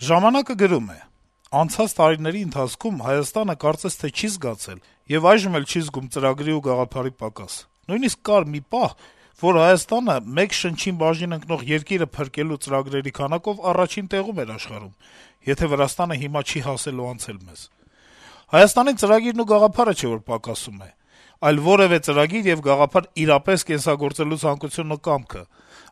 «Ժամանակ»-ը գրում է. - «Անցած տարիների ընթացքում Հայաստանը կարծես թե չի զգացել եւ այժմ էլ չի զգում ծրագրի ու գաղափարի պակաս: Նույնիսկ կար մի պահ, որ Հայաստանը մեկ շնչին բաժին ընկնող երկիրը փրկելու ծրագրերի քանակով առաջին տեղում էր աշխարհում, եթե Վրաստանը հիմա չի հասել ու անցել մեզ: Հայաստանի ծրագիրն ու գաղափարը չէ, որ պակասում է, այլ որեւէ ծրագիր եւ գաղափար իրապես կենսագործելու ցանկությունն ու կամքը: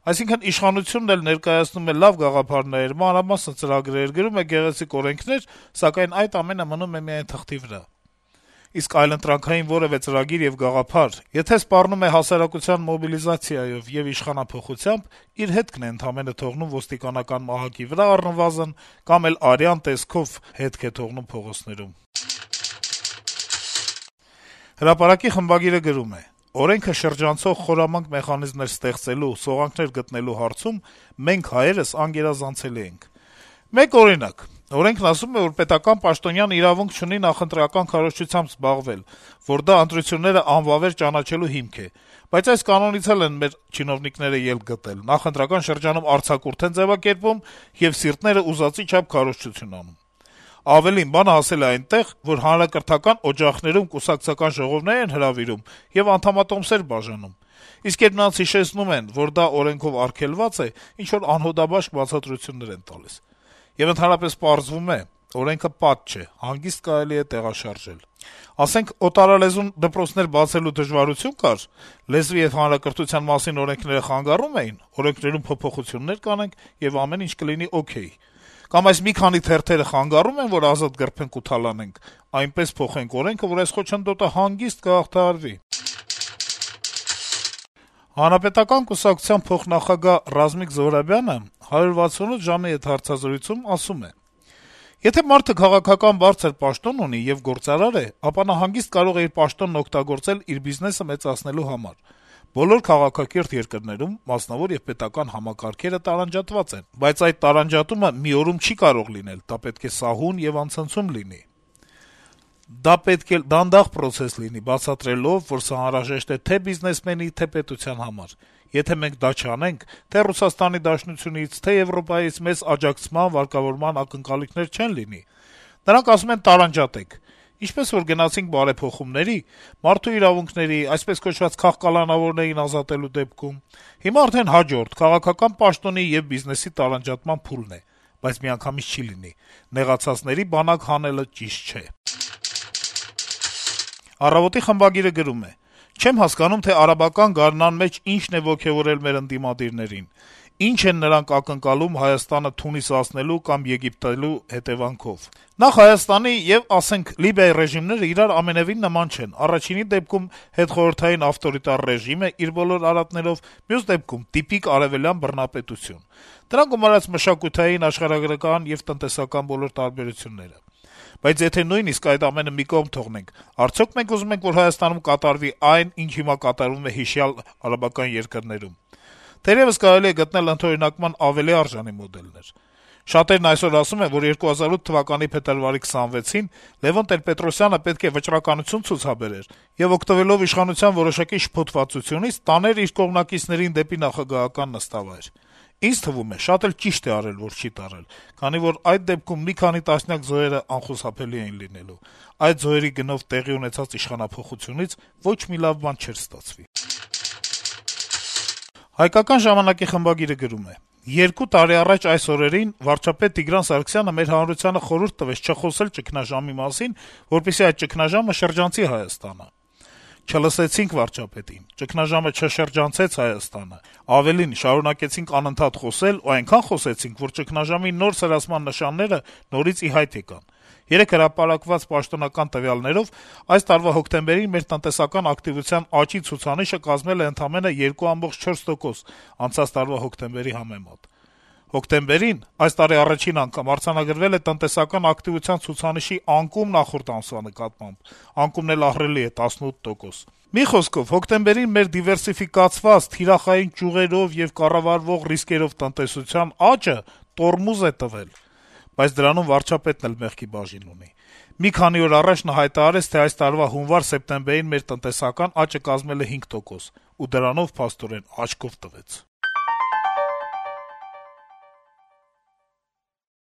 Այսինքն իշխանությունն էլ ներկայացնում է լավ գաղափարներ, մանրամասն ծրագրեր, գրում է գեղեցիկ օրենքներ, սակայն այդ ամենը մնում է միայն թղթի վրա: Իսկ այլընտրանքային որեւէ ծրագիր եւ գաղափար, եթե սպառնում է հասարակության մոբիլիզացիայով եւ իշխանափոխությամբ, իր հետքն է ընդամենը թողնում ոստիկանական մահակի վրա առնվազն, կամ էլ արյան տեսքով հետք է թողնում փողոցներում»: «Հրապարակ»-ի խմբագիրը գրում է. - «Օրենքը շրջանցող խորամանկ մեխանիզմներ ստեղծելու, սողանքներ գտնելու հարցում մենք հայերս անգերազանցելի ենք: Մեկ օրինակ. օրենքն ասում է, որ պետական պաշտոնյան իրավունք չունի նախընտրական քարոզչությամբ զբաղվել, որ դա ընտրությունները անվավեր ճանաչելու հիմք է, բայց այս կանոնից էլ են մեր չինովնիկները ելք գտել, նախընտրական շրջանում արձակուրդ են ձեւակերպում եւ սիրտները ուզածի չափ քարոզչություն անում: Ավելին, բանը հասել է այնտեղ, որ հանրակրթական օջախներում կուսակցական ժողովներ են հրավիրում եւ անդամատոմսեր բաժանում: Իսկ երբ նրանց հիշեցնում են, որ դա օրենքով արգելված է, ինչ-որ անհոդաբաշխ բացատրություններ են տալիս: Եվ ընդհանրապես պարզվում է` օրենքը պատ չէ, հանգիստ կարելի է տեղաշարժել: Ասենք, օտարալեզուն դպրոցներ բացելու դժվարություն կար, լեզվի եւ հանրակրթության մասին օրենքները խանգարում էին, օրենքներում փոփոխություններ կանենք, եւ ամեն ինչ կլինի օքեյ: Կամ այս մի քանի թերթերը խանգարում են, որ ազատ գռփենք ու թալանենք, այնպես փոխենք օրենքը, որ այս խոչընդոտը հանգիստ կհաղթահարվի»: Հանրապետական կուսակցության փոխնախագահ Ռազմիկ Զոհրաբյանը 168 ժամի հետ հարցազրույցում ասում է. - «Եթե մարդը քաղաքական բարձր պաշտոն ունի եւ գործարար է, ապա նա հանգիստ կարող է իր պաշտոնն օգտագործել իր բիզնեսը մեծացնելու համար: Բոլոր քաղաքակիրթ երկրներում մասնավոր եւ պետական համակարգերը տարանջատված են, բայց այդ տարանջատումը մի օրում չի կարող լինել, դա պետք է սահուն եւ անցնցում լինի: Դա պետք է դանդաղ պրոցես լինի, բացատրելով, որ սա անհրաժեշտ է թե բիզնեսմենի, թե պետության համար: Եթե մենք դա չանենք, թե Ռուսաստանի Դաշնությունից, թե Եվրոպայից մեզ աջակցման, վարկավորման ակնկալիքներ չեն լինի: Նրանք ասում են տարանջատեք: Ինչպես որ գնացինք բարեփոխումների, մարդու իրավունքների, այսպես կոչված քաղկալանավորներին ազատելու դեպքում, հիմա արդեն հաջորդ` քաղաքական պաշտոնի եւ բիզնեսի տարանջատման փուլն է: Բայց միանգամից չի լինի: Նեղացածների բանակ հանելը ճիշտ չէ»: «Առավոտ»-ի խմբագիրը գրում է. - «Չեմ հասկանում, թե արաբական գարնան մեջ ինչն է ոգեւորել մեր ընդդիմադիրներին: Ինչ են նրանք ակնկալում Հայաստանը թունիսացնելու կամ եգիպտելու հետեւանքով: Նախ, Հայաստանի եւ, ասենք, Լիբիայի ռեժիմները իրար ամենեւին նման չեն: Առաջինի դեպքում հետխորհրդային ավտորիտար ռեժիմ է իր բոլոր արատներով, մյուս դեպքում տիպիկ արեւելյան բռնապետություն: Դրանք գումարած մշակութային, աշխարհագրական եւ տնտեսական բոլոր տարբերությունները: Բայց եթե նույնիսկ այդ ամենը մի կողմ թողնենք, արդյո՞ք մենք ուզում ենք, որ Հայաստանում կատարվի այն, ինչ հիմա կատարվում է հիշյալ արաբական երկրներում: Թերեւս կարելի է գտնել ընդօրինակման ավելի արժանի մոդելներ: Շատերն այսօր ասում են, որ 2008 թվականի փետրվարի 26-ին Լեւոն Տեր-Պետրոսյանը պետք է վճռականություն ցուցաբերեր եւ, օգտվելով իշխանության որոշակի շփոթվածությունից, տաներ իր կողմնակիցներին դեպի նախագահական նստավայր: Ինձ թվում է, շատ էլ ճիշտ է արել, որ չի տարել, քանի որ այդ դեպքում մի քանի տասնյակ զոհերը անխուսափելի էին լինելու: Այդ զոհերի գնով տեղի ունեցած իշխանափոխությունից ոչ մի լավ բան չէր ստացվի»: «Հայկական ժամանակ»-ի խմբագիրը գրում է. - «2 տարի առաջ այս օրերին վարչապետ Տիգրան Սարգսյանը մեր հանրությանը խորհուրդ տվեց չխոսել ճգնաժամի մասին, որպեսզի այդ ճգնաժամը շրջանցի Հայաստանը: Չլսեցինք վարչապետին: Ճգնաժամը չշրջանցեց Հայաստանը: Ավելին, շարունակեցինք անընդհատ խոսել ու այնքան խոսեցինք, որ ճգնաժամի նոր սրացման նշանները նորից ի հայտ եկան: Երեկ հրապարակված պաշտոնական տվյալներով այս տարվա հոկտեմբերին մեր տնտեսական ակտիվության աճի ցուցանիշը կազմել է ընդամենը 2.4%` անցած տարվա հոկտեմբերի համեմատ: Հոկտեմբերին, այս տարի առաջին անգամ, արձանագրվել է տնտեսական ակտիվության ցուցանիշի անկում նախորդ ամսվա նկատմամբ: Անկումն էլ ահռելի է` 18%: Մի խոսքով, հոկտեմբերին մեր դիվերսիֆիկացված, թիրախային ճյուղերով եւ կառավարվող ռիսկերով տնտեսության աճը տորմուզ է տվել: Բայց դրանում վարչապետն էլ մեղքի բաժին ունի: Մի քանի օր առաջ նա հայտարարեց, թե այս տարվա հունվար-սեպտեմբերին մեր տնտեսական աճը կազմել է 5%, ու դրանով, փաստորեն, աչքով տվեց»: